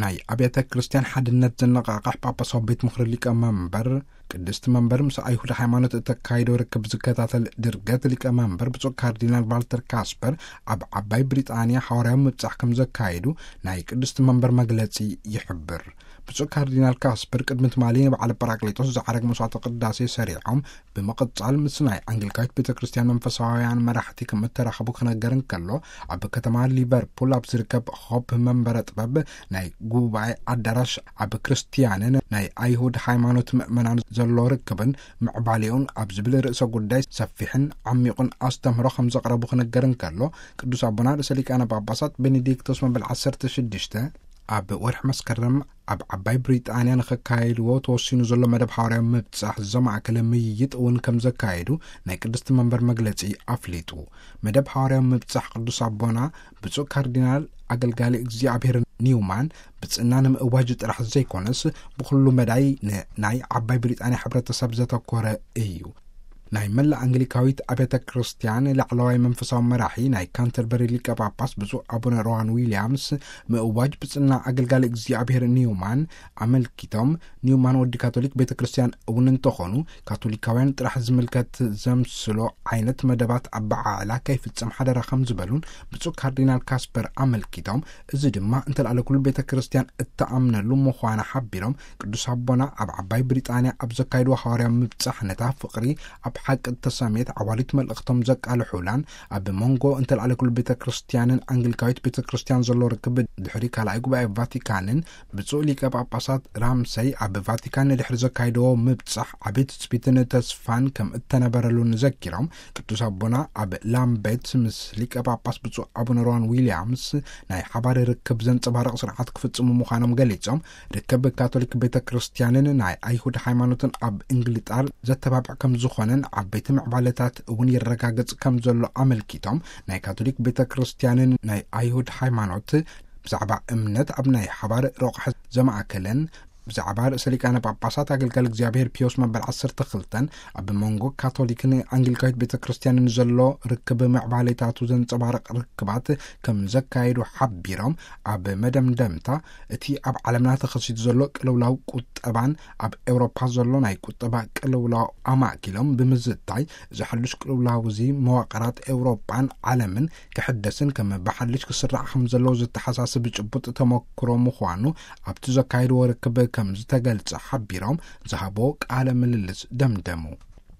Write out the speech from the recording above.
ናይ ኣብያተ ክርስቲያን ሓድነት ዘነቓቕሕ ጳጳሳዊ ቤት ምኽሪ ሊቀ መንበር፣ ቅድስቲ መንበር ምስ ኣይሁድ ሃይማኖት እተካይዶ ርክብ ዝከታተል ድርገት ሊቀ መንበር ብፁዕ ካርዲናል ቫልተር ካስፐር ኣብ ዓባይ ብሪጣንያ ሓዋርያዊ ምብጻሕ ከም ዘካየዱ ናይ ቅድስቲ መንበር መግለጺ ይሕብር። ብፁዕ ካርዲናል ካስፐር ቅድሚ ትማሊ ንበዓለ ጳራቅሊጦስ ዝዓረግ መስዋዕተ ቅዳሴ ሰሪዖም፣ ብምቕጻል ምስ ናይ ኣንግሊካዊት ቤተ ክርስቲያን መንፈሳውያን መራሕቲ ከም እተራኸቡ ክነገር እንከሎ፣ ኣብ ከተማ ሊቨርፑል ኣብ ዝርከብ ሆፕ መንበረ ጥበብ ናይ ጉባኤ ኣዳራሽ ኣብ ክርስቲያንን ናይ ኣይሁድ ሃይማኖት ምእመናን ዘሎ ርክብን ምዕባሌኡን ኣብ ዝብል ርእሰ ጉዳይ ሰፊሕን ዓሚቑን ኣስተምህሮ ከም ዘቕረቡ ክነገር እንከሎ፣ ቅዱስ ኣቦና ርእሰ ሊቃነ ጳጳሳት ቤኔዲክቶስ መበል ዓሰርተ ሽዱሽተ ኣብ ወርሒ መስከረም ኣብ ዓባይ ብሪጣንያ ንኸካየድዎ ተወሲኑ ዘሎ መደብ ሓዋርያዊ ምብጻሕ ዘማእከለ ምይይጥ እውን ከም ዘካየዱ ናይ ቅድስቲ መንበር መግለጺ ኣፍሊጡ። መደብ ሓዋርያዊ ምብጻሕ ቅዱስ ኣቦና ብፁዕ ካርዲናል ኣገልጋሊ እግዚኣብሔር ኒውማን ብጽና ንምእዋጅ ጥራሕ ዘይኮነስ፣ ብኹሉ መዳይ ንናይ ዓባይ ብሪጣንያ ሕብረተሰብ ዘተኮረ እዩ። ናይ መላእ ኣንግሊካዊት ኣብያተ ክርስቲያን ላዕለዋይ መንፈሳዊ መራሒ ናይ ካንተርበሪ ሊቀ ጳጳስ ብፁዕ ኣቡነ ሮዋን ዊልያምስ ምእዋጅ ብጽና ኣገልጋሊ እግዚኣብሔር ኒውማን ኣመልኪቶም፣ ኒውማን ወዲ ካቶሊክ ቤተ ክርስቲያን እውን እንተኾኑ፣ ካቶሊካውያን ጥራሕ ዝምልከት ዘምስሎ ዓይነት መደባት ኣበዓዕላ ከይፍጸም ሓደራ ከም ዝበሉን ብፁዕ ካርዲናል ካስፐር ኣመልኪቶም፣ እዚ ድማ እንተልኣለ ኩሉ ቤተ ክርስቲያን እተኣምነሉ ምዃና ሓቢሮም፣ ቅዱስ ኣቦና ኣብ ዓባይ ብሪጣንያ ኣብ ዘካየድዎ ሓዋርያዊ ምብጻሕ ነታ ፍቕሪ ኣብ ሓቂ እተሰምየት ዓዋሊት መልእኽቶም ዘቃልሑላን፣ ኣብ መንጎ እንተልኣለ ኩሉ ቤተ ክርስቲያንን ኣንግሊካዊት ቤተ ክርስቲያን ዘሎ ርክብ ድሕሪ ካልኣይ ጉባኤ ቫቲካንን ብፁዕ ሊቀ ጳጳሳት ራምሰይ ኣብ ቫቲካን ንድሕሪ ዘካየድዎ ምብጻሕ ዓቢ ትጽቢትን ተስፋን ከም እተነበረሉን ዘኪሮም፣ ቅዱስ ኣቦና ኣብ ላምቤት ምስ ሊቀ ጳጳስ ብፁዕ ኣቡነ ሮዋን ዊልያምስ ናይ ሓባር ርክብ ዘንጸባርቕ ስርዓት ክፍጽሙ ምዃኖም ገሊጾም፣ ርክብ ካቶሊክ ቤተ ክርስቲያንን ናይ ኣይሁድ ሃይማኖትን ኣብ እንግሊጣር ዘተባብዕ ከም ዝኾነን ዓበይቲ ምዕባለታት እውን ይረጋገጽ ከም ዘሎ ኣመልኪቶም፣ ናይ ካቶሊክ ቤተ ክርስቲያንን ናይ ኣይሁድ ሃይማኖት ብዛዕባ እምነት ኣብ ናይ ሓባር ረቑሐ ዘማእከለን፣ ብዛዕባ ርእሰ ሊቃነ ጳጳሳት ኣገልጋሊ እግዚኣብሔር ፒዮስ መበል ዓሰርተ ክልተን ኣብ መንጎ ካቶሊክን ኣንግሊካዊት ቤተ ክርስቲያንን ዘሎ ርክብ ምዕባሌታቱ ዘንጸባርቕ ርክባት ከም ዘካየዱ ሓቢሮም፣ ኣብ መደምደምታ እቲ ኣብ ዓለምና ተኸሲቱ ዘሎ ቅልውላው ቁጠባን ኣብ ኤውሮፓ ዘሎ ናይ ቁጠባ ቅልውላው ኣማእኪሎም ብምዝታይ፣ እዚ ሕሉሽ ቅልውላው እዚ መዋቕራት ኤውሮፓን ዓለምን ክሕደስን ከም ብሓድሽ ክስራዕ ከም ዘለዎ ዘተሓሳስብ ጭቡጥ ተመክሮ ምዃኑ ኣብቲ ዘካየድዎ ርክብ ከም ዝተገልጸ ሓቢሮም፣ ዝሃቦ ቃለ ምልልስ ደምደሙ።